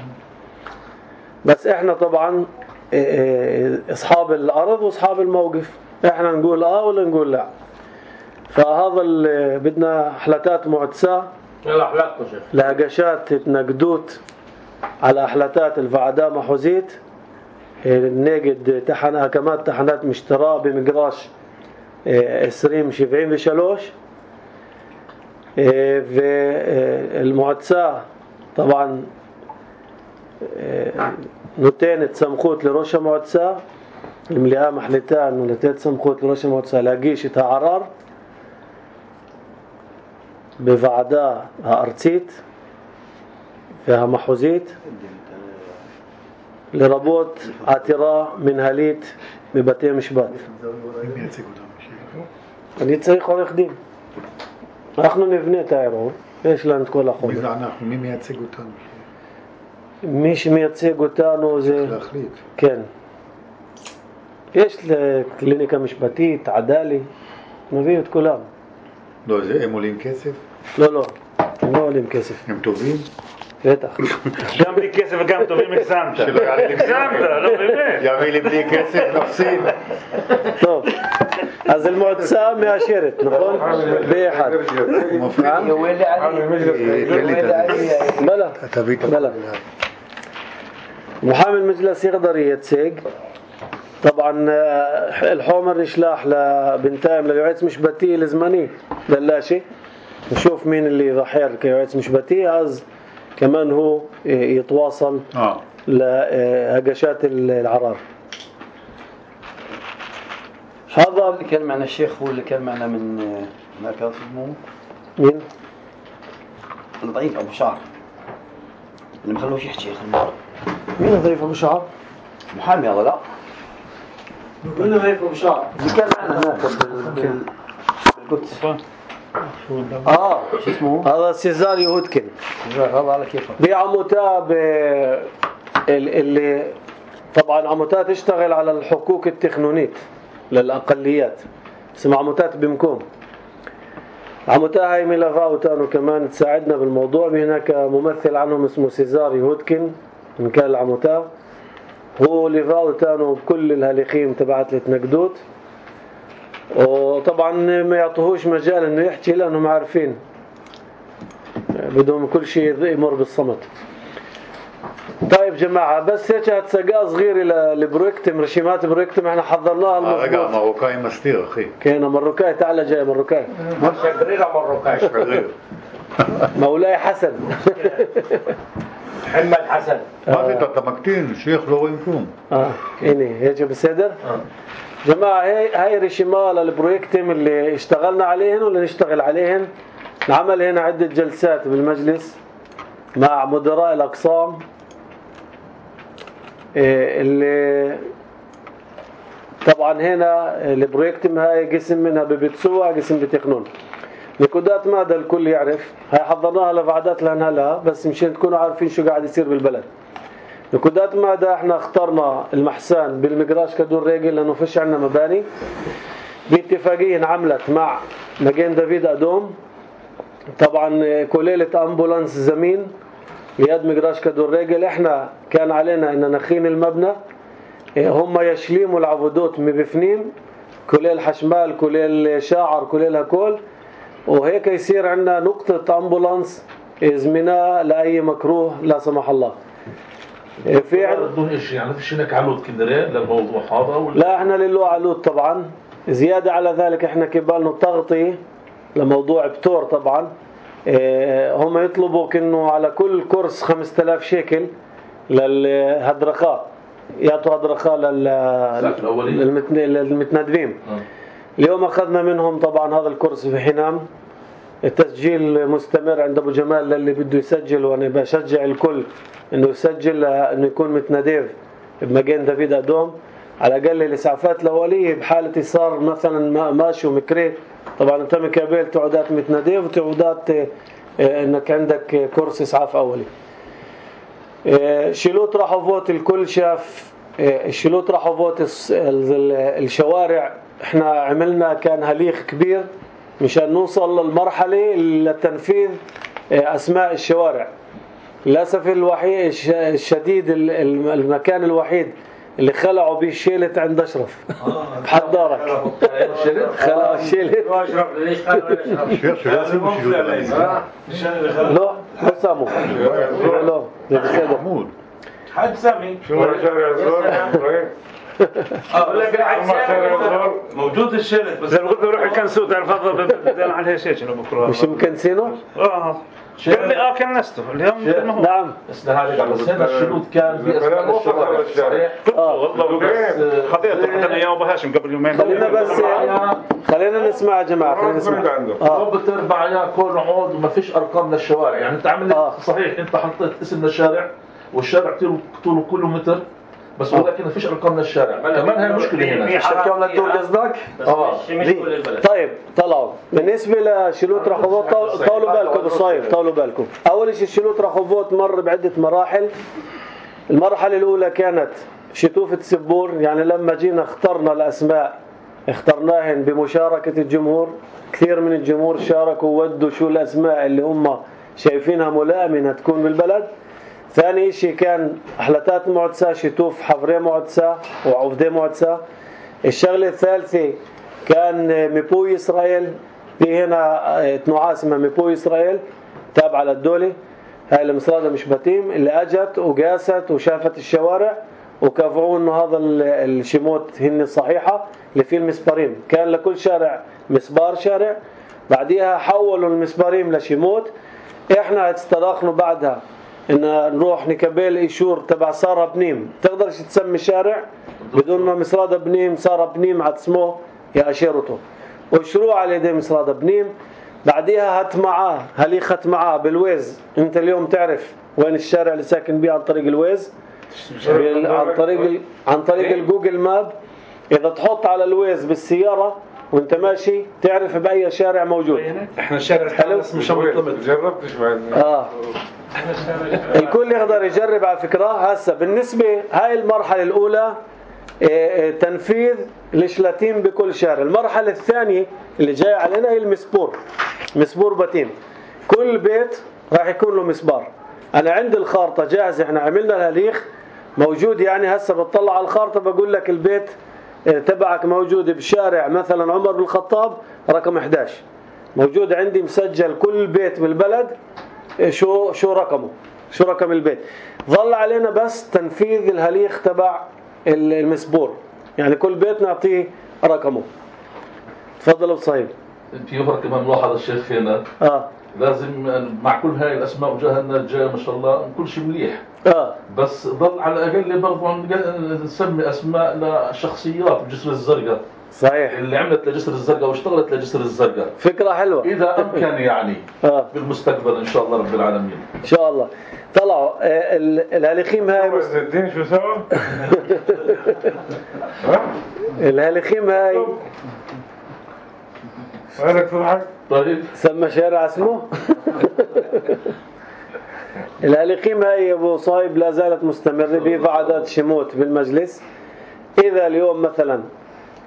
بس إحنا طبعا أصحاب الأرض وأصحاب الموقف. إحنا نقول آه ولا نقول لا. فهذا اللي بدنا حلتات معتسة لهجشات تنقدوت على أحلاتات الفعداء محوزيت نجد تحن هكمات تحنات مشترى بمقراش عشرين سبعين بشلوش. والمعتسة طبعا نتين سمخوت لروشة معتسة المليئة محلتان ونتين سمخوت لروشة معتسة لاقيش عرار بفعداء أرتيت فيها محوزيت لربوت عتراء من هاليت ببتي مشبات. אני צריך עורך דין. אנחנו נבנה את הערעור, יש לנו את כל החומר. מי זה אנחנו? מי מייצג אותנו? מי שמייצג אותנו זה... להחליט. כן. יש לקליניקה משפטית, עדלי, נביא את כולם. לא, הם עולים כסף? לא, לא, הם לא עולים כסף. הם טובים? בטח. גם בלי כסף וגם טובים הגזמת. הגזמת, לא באמת. יביא לי בלי כסף, נפסיד. טוב, אז المועצה מאשרת, נכון? באחד. يولي علي يولي علي بلا بلا محامي المجلس يقدر يتسيق. طبعا الحومر نشلاح لبنتايم لليوعيس مشبتي الزمني دلاشي نشوف مين اللي ضحير كيوعيس مشبتي از كمان هو يتواصل آه. لهجشات العرار. هذا اللي كان معنا الشيخ هو اللي كان معنا من مركز المو مين؟ الضعيف أبو شعر اللي مخلوش يحكي يا خلنا. مين ضعيف أبو شعر؟ محامي هذا لا. مين ضعيف أبو شعر؟ اللي كان معنا هناك بالقدس. آه شو اسمه؟ هذا سيزار يهودكن. هذا على كيفه. دي عموتة ب اللي طبعا عموتة تشتغل على الحقوق التقنونية للأقليات اسمها عموتات بمكوم. عموتة هاي ملافا وتانو كمان تساعدنا بالموضوع. هناك ممثل عنهم اسمه سيزار يهودكن من كان العموتة هو لفا وتانو بكل الهالخيم تبعت لتنقدوت. وطبعا ما يعطوهوش مجال انه يحكي لانهم عارفين بدهم كل شيء يمر بالصمت. طيب جماعة بس هيك هتسقى صغيرة للبرويكتم رشيمات برويكتم احنا حضرناها المظبوط. רגע, מרוקאי מסתיר, אחי. כן, המרוקאי, تعال جاي مروكاي. شقرير مروكاي. שגריר. مولاي حسن. محمد حسن. ما في تطمكتين الشيخ لو وينكم. اه هنا هيك بالصدر. جماعة هاي هاي ريشيما للبروجكتين اللي اشتغلنا عليهن ولا نشتغل عليهن. نعمل هنا عدة جلسات بالمجلس مع مدراء الأقسام اللي طبعا هنا البروجكتين هاي قسم منها ببتسوع قسم بتقنون. نقودات مادة الكل يعرف هاي حضرناها لفعدات لأنها لا بس مشان تكونوا عارفين شو قاعد يصير بالبلد. نقودات مادة احنا اخترنا المحسان بالمقراش كدور ريجل لأنه فيش عنا مباني باتفاقية انعملت مع مجين دافيد أدوم. طبعا كليلة أمبولانس زمين ليد مقراش كدور ريجل. احنا كان علينا ان نخين المبنى هم يشليموا العبودات مبفنين كليل حشمال كليل شاعر كليل هكول وهيك يصير عندنا نقطة أمبولانس زمناء لأي مكروه لا سمح الله. في بدون شيء يعني فيش هناك علود كندرين للموضوع هذا ولا لا احنا لله علود طبعا. زيادة على ذلك احنا كبالنا تغطي لموضوع بتور طبعا. اه هم يطلبوا كأنه على كل كورس خمسة آلاف شيكل للهدرخاء يعطوا هدرخاء للمتندبين. اه. اليوم أخذنا منهم طبعا هذا الكورس في حنام. التسجيل مستمر عند أبو جمال للي بده يسجل وأنا بشجع الكل إنه يسجل إنه يكون متنديف بمجين دافيد أدوم على الأقل الإسعافات الأولية بحالة صار مثلا ماشي ومكري. طبعا أنت مكابل تعودات متنديف وتعودات إنك عندك كورس إسعاف أولي. شيلوت رحوفوت الكل شاف شيلوت رحوفوت الشوارع. احنا عملنا كان هليخ كبير مشان نوصل للمرحلة لتنفيذ أسماء الشوارع. للأسف الوحيد الشديد المكان الوحيد اللي خلعوا به الشيلت عند أشرف بحد دارك خلعوا الشيلت. لا لا سامو لا لا محمود حد سامي شو شارع الزور؟ اقول لك موجود الشيلت بس لما قلت له روح الكنسو تعرف هذا بدنا عليه شيء شنو بكره مش مكنسينه اه قال لي اه كنسته اليوم نعم بس هذا بس هنا الشروط كان في اسماء الشوارع صحيح. اه والله خطيته حتى ايام ابو هاشم قبل يومين. خلينا بس خلينا نسمع يا جماعه خلينا نسمع. اه بتربع يا كون عود وما فيش ارقام للشوارع يعني انت عملت آه. صحيح انت حطيت اسم الشارع والشارع طوله كله متر بس ولكن ما فيش ارقام للشارع كمان هي مشكله هنا شكاوى للدور قصدك اه طيب طلعوا بالنسبه لشيلوت رحوبوت طولوا بالكم بالصيف طولوا بالكم. اول شيء شيلوت رحوبوت مر بعده مراحل. المرحله الاولى كانت شتوفه سبور يعني لما جينا اخترنا الاسماء اخترناهن بمشاركه الجمهور. كثير من الجمهور شاركوا وودوا شو الاسماء اللي هم شايفينها ملائمه تكون بالبلد. ثاني شيء كان أحلتات معدسة شتوف حفرية معدسة وعفدة معدسة. الشغلة الثالثة كان ميبوي إسرائيل. في هنا تنوع اسمها ميبوي إسرائيل تابعة للدولة. هاي المصادة مش بتيم اللي أجت وقاست وشافت الشوارع وكافعوا إنه هذا الشموت هن الصحيحة اللي فيه المسبارين. كان لكل شارع مسبار شارع بعديها حولوا المسبارين لشموت. إحنا استراخنا بعدها إن نروح نكبل إيشور تبع سارة بنيم. تقدرش تسمي شارع بدون ما مصرادة بنيم سارة بنيم عتسموه يا أشيرته وشروع على يدي مصرادة بنيم. بعديها هات معاه هلي خت معاه بالويز. انت اليوم تعرف وين الشارع اللي ساكن بيه عن طريق الويز عن طريق عن طريق الجوجل ماب. إذا تحط على الويز بالسيارة وانت ماشي تعرف بأي شارع موجود. احنا الشارع حلو مش مطلب جربتش بعد اه الكل يقدر يجرب على فكرة. هسه بالنسبة هاي المرحلة الأولى تنفيذ الشلاتين بكل شارع. المرحلة الثانية اللي جاي علينا هي المسبور. مسبور بتيم كل بيت راح يكون له مسبار. أنا عندي الخارطة جاهزة احنا عملنا الهليخ موجود يعني هسه بتطلع على الخارطة بقول لك البيت تبعك موجود بشارع مثلا عمر بن الخطاب رقم إحدى عشر موجود عندي مسجل كل بيت بالبلد شو شو رقمه شو رقم البيت. ظل علينا بس تنفيذ الهليخ تبع المسبور يعني كل بيت نعطيه رقمه. تفضل ابو صهيب. في يظهر كمان ملاحظه الشيخ فينا اه لازم مع كل هاي الاسماء وجاهنا الجاي ما شاء الله كل شيء مليح. اه بس ضل على الاقل برضه نسمي اسماء لشخصيات الجسر الزرقاء صحيح، اللي عملت لجسر الزرقاء واشتغلت لجسر الزرقاء. فكرة حلوة اذا امكن يعني اه بالمستقبل ان شاء الله رب العالمين. ان شاء الله. طلعوا آه، ال- الهالخيم هاي مس... عز الدين شو سوى؟ ها؟ الهالخيم هاي وينك تضحك؟ طيب سمى شارع اسمه الهالخيم هاي يا ابو صايب لا زالت مستمرة بها عادات شموت بالمجلس. اذا اليوم مثلا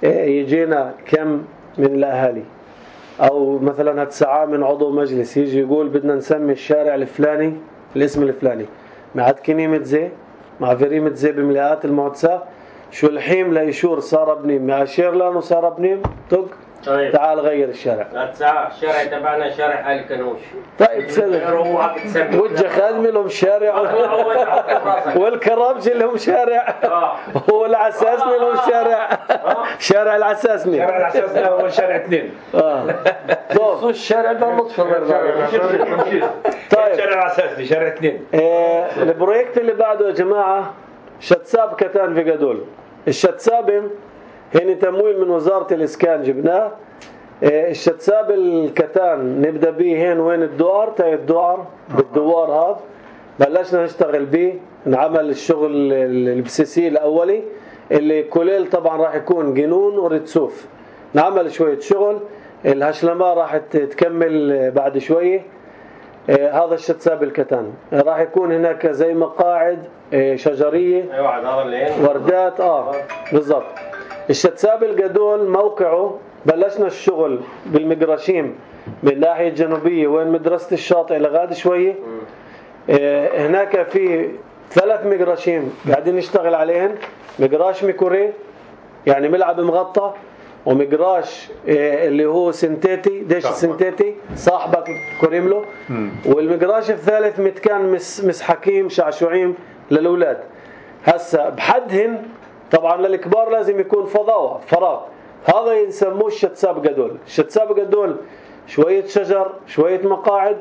آه، يجينا كم من الاهالي او مثلا هتسعة من عضو مجلس يجي يقول بدنا نسمي الشارع الفلاني الاسم الفلاني مع كنيمة زي مع فريمة زي بملاءات المعتسى شو الحين ليشور صار بنيم مع شيرلان وصار بنيم طق طيب تعال غير الشارع. الساعة الشارع تبعنا شارع آل كنوش. طيب سلم روحك تسمي وجه خادمي لهم شارع والكرابجي لهم شارع والعساسني لهم شارع شارع العساسني شارع الأساس هو شارع اثنين. اه طب الشارع ده لطف طيب شارع الأساس شارع اثنين. آه، البروجكت اللي بعده يا جماعة شتساب كتان في جدول. الشتساب هني تمويل من وزارة الإسكان جبناه. آه، الشتساب الكتان نبدأ بيه هين وين الدوار تاي الدوار بالدوار هذا بلشنا نشتغل بيه نعمل الشغل البسيسي الأولي اللي كليل طبعا راح يكون جنون ورتسوف. نعمل شوية شغل الهشلمة راح تكمل بعد شوية. آه، هذا الشتساب الكتان راح يكون هناك زي مقاعد آه، شجرية ايوه هذا اللي وردات اه بالضبط. الشتساب الجدول موقعه بلشنا الشغل بالمقرشيم من الناحية الجنوبية وين مدرسة الشاطئ لغاد شوية. آه، هناك في ثلاث مقرشيم قاعدين نشتغل عليهن. مقراش ميكوري يعني ملعب مغطى ومقراش آه، اللي هو سنتيتي ديش سنتيتي صاحبك كريم له. والمقراش الثالث متكان مس مسحكيم شعشوعيم للأولاد. هسا بحدهن طبعا للكبار لازم يكون فضاوة فراغ. هذا يسموه الشتساب جدول. الشتساب جدول شوية شجر شوية مقاعد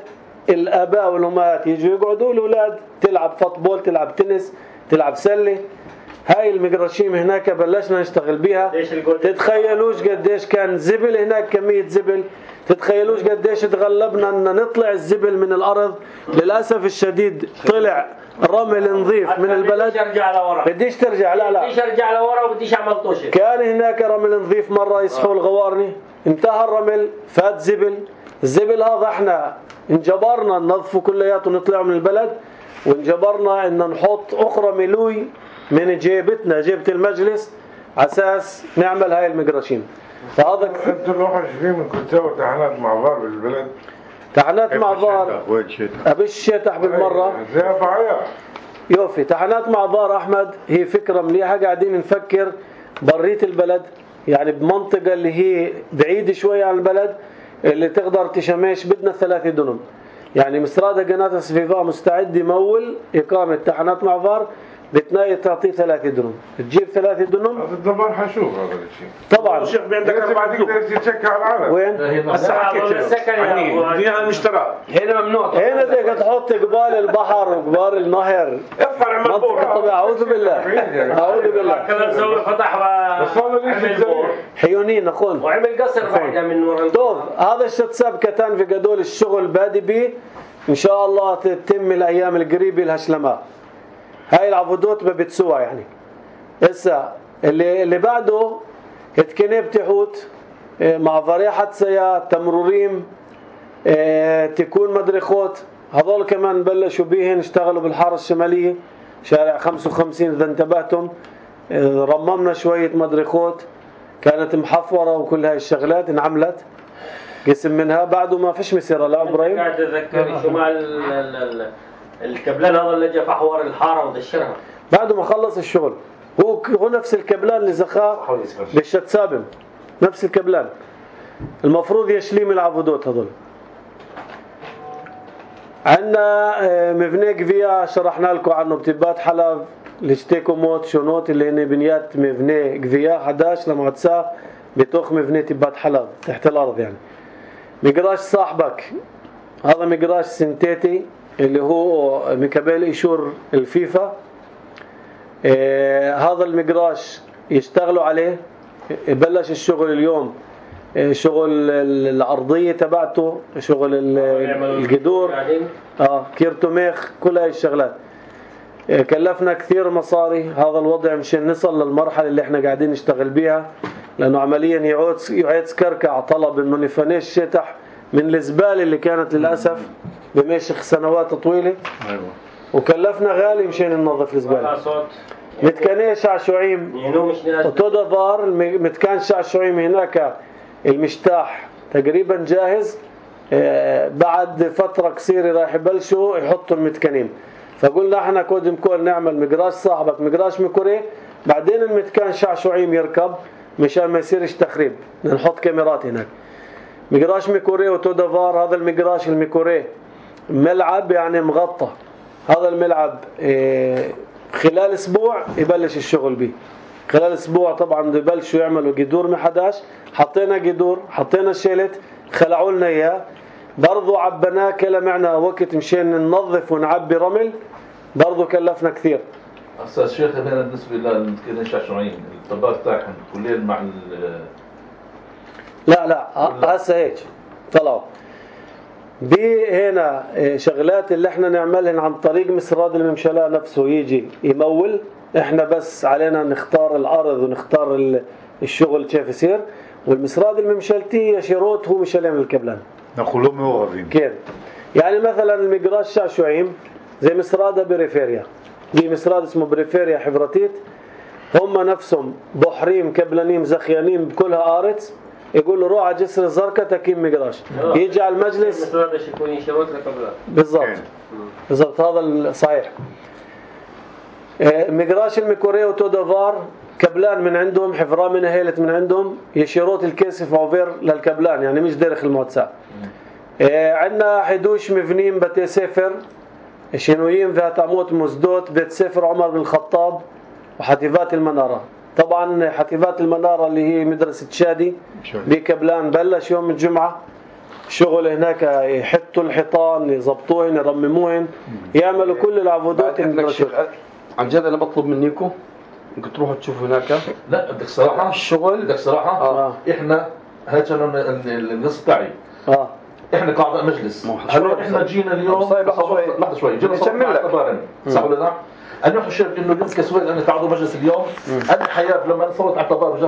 الآباء والأمهات يجوا يقعدوا الأولاد تلعب فوتبول تلعب تنس تلعب سلة. هاي المقرشيم هناك بلشنا نشتغل بيها. تتخيلوش قديش كان زبل هناك كمية زبل. تتخيلوش قديش تغلبنا ان نطلع الزبل من الارض. للاسف الشديد طلع رمل نظيف من البلد. بديش ارجع لورا بديش ترجع لا لا بديش ارجع لورا وبديش اعمل طوشه. كان هناك رمل نظيف مرة يصحوا الغوارني انتهى الرمل فات زبل. الزبل هذا احنا انجبرنا ننظفه كلياته ونطلعه من البلد وانجبرنا ان نحط اخرى ملوي من جيبتنا جيبة المجلس عساس نعمل هاي المقرشين. فهذا انتوا الوحش فيه من كنتوا تحنات معبار بالبلد تحنات معبار وين شتاء ابش الشتاء بالمرة زي فعيا يوفي. تحنات معبار احمد هي فكرة مليحة قاعدين نفكر بريت البلد يعني بمنطقة اللي هي بعيدة شوية عن البلد اللي تقدر تشمش. بدنا ثلاثة دنم يعني مسرادة قناة سفيفا مستعد يمول إقامة تحنات معبار بتناية تعطيه ثلاثة دنم تجيب ثلاثة دنم. هذا الدبر حشوف هذا الشيء طبعا الشيخ عندك أربعة ما تقدر تتشكى على العالم. وين؟ هسه حكيت له المشترى هنا ممنوع. هنا بدك تحط قبال البحر وقبال النهر ارفع منطقة طبيعة. أعوذ بالله أعوذ بالله. كمان سوي فتح وعمل بور حيونين أخون وعمل قصر بعدها من ورا. طوف هذا الشتساب كتان في قدول الشغل بادي بيه إن شاء الله تتم الأيام القريبة الهشلماء. هاي العبودات بتسوى يعني. هسه اللي اللي بعده اتكنيب تحوت مع فريحة سيا تمروريم اه تكون مدرخوت. هذول كمان بلشوا بيهن اشتغلوا بالحارة الشمالية شارع خمسة وخمسين إذا انتبهتم. اه رممنا شوية مدرخوت كانت محفورة وكل هاي الشغلات انعملت قسم منها بعده ما فيش مسيرة. لا إبراهيم قاعد أتذكر شو مع الكبلان هذا اللي جا فحور الحارة ودشرها بعد ما خلص الشغل. هو هو نفس الكبلان اللي زخاه بالشتسابم نفس الكبلان المفروض يشليم العبودات هذول. عندنا مبنى قفية شرحنا لكم عنه بتبات حلب لشتيكو موت شونوت اللي هن بنيات مبنى قفية إحدى عشر لمعتسا بتوخ مبنى تبات حلب تحت الأرض يعني. مقراش صاحبك هذا مقراش سنتيتي اللي هو مكبل إيشور الفيفا. آه هذا المقراش يشتغلوا عليه، بلش الشغل اليوم، شغل العرضية تبعته، شغل الجذور، اه كيرتوميخ، كل هاي الشغلات. كلفنا كثير مصاري هذا الوضع مشان نصل للمرحلة اللي احنا قاعدين نشتغل بيها، لأنه عمليا يعود يعيد سكركع طلب انه نفنش شتح من الزبالة اللي كانت للأسف بمشي سنوات طويلة. أيوة. وكلفنا غالي مشان ننظف الزبالة. متكانية شعشوعيم وتودافار، متكان شعشوعيم هناك المشتاح تقريبا جاهز، بعد فترة قصيرة راح يبلشوا يحطوا المتكانين. فقلنا احنا كودم كول نعمل مقراش صاحبك مقراش ميكوري، بعدين المتكان شعشوعيم يركب مشان ما يصيرش تخريب، نحط كاميرات هناك. مقراش ميكوري وتودافار. هذا المقراش الميكوري ملعب يعني مغطى، هذا الملعب اه خلال اسبوع يبلش الشغل به. خلال اسبوع طبعا يبلشوا يعملوا جذور محداش، حطينا جذور، حطينا الشيلت، خلعوا لنا اياه، برضو عبناه كلا معنا وقت مشان ننظف ونعبي رمل، برضو كلفنا كثير. أستاذ شيخ هنا بالنسبة للمتكانين الشعشوعيين الطباخ تاعهم كلين مع ال لا لا هسه هيك طلعوا بي هنا شغلات اللي احنا نعملهن عن طريق مسراد الممشلاء نفسه يجي يمول، احنا بس علينا نختار الارض ونختار الشغل كيف يصير، والمسراد الممشلتي شروط هو مشلين الكبلان نقولوا معورين كيف. يعني مثلا المقراش شعشوعيم زي مسرادة بريفيريا، دي مسراد اسمه بريفيريا حفرتيت، هم نفسهم بحريم كبلانيم زخيانين بكلها آرت، يقولوا روح على جسر الزرقاء تكيم مقراش، يجي على المجلس بالضبط بالضبط هذا صحيح. مقراش الميكوري وتودافار كبلان من عندهم، حفرة من هيلت من عندهم، يشيروت الكيسف عوفير للكبلان يعني مش دارخ الموتسع. عندنا حدوش مبنين بتي سفر شنويين ذات عمود مزدوت، بيت سفر عمر بن الخطاب وحتيفات المنارة. طبعا حتيفات المنارة اللي هي مدرسة شادي بكبلان بلش يوم الجمعة شغل هناك، يحطوا الحيطان، يضبطوهن، يرمموهن، يعملوا كل العبودات. عن جد انا بطلب منكم ممكن تروحوا تشوفوا هناك. لا بدك صراحة الشغل بدك صراحة آه. احنا هذا النص تاعي اه احنا قاعدة مجلس حلو، احنا جينا اليوم لحظة شوي جينا صوت اعتبارا صح ولا لا؟ انا خشيت انه اليوم كسويت انا تعالوا مجلس اليوم انا حياة لما نصوت اعتبار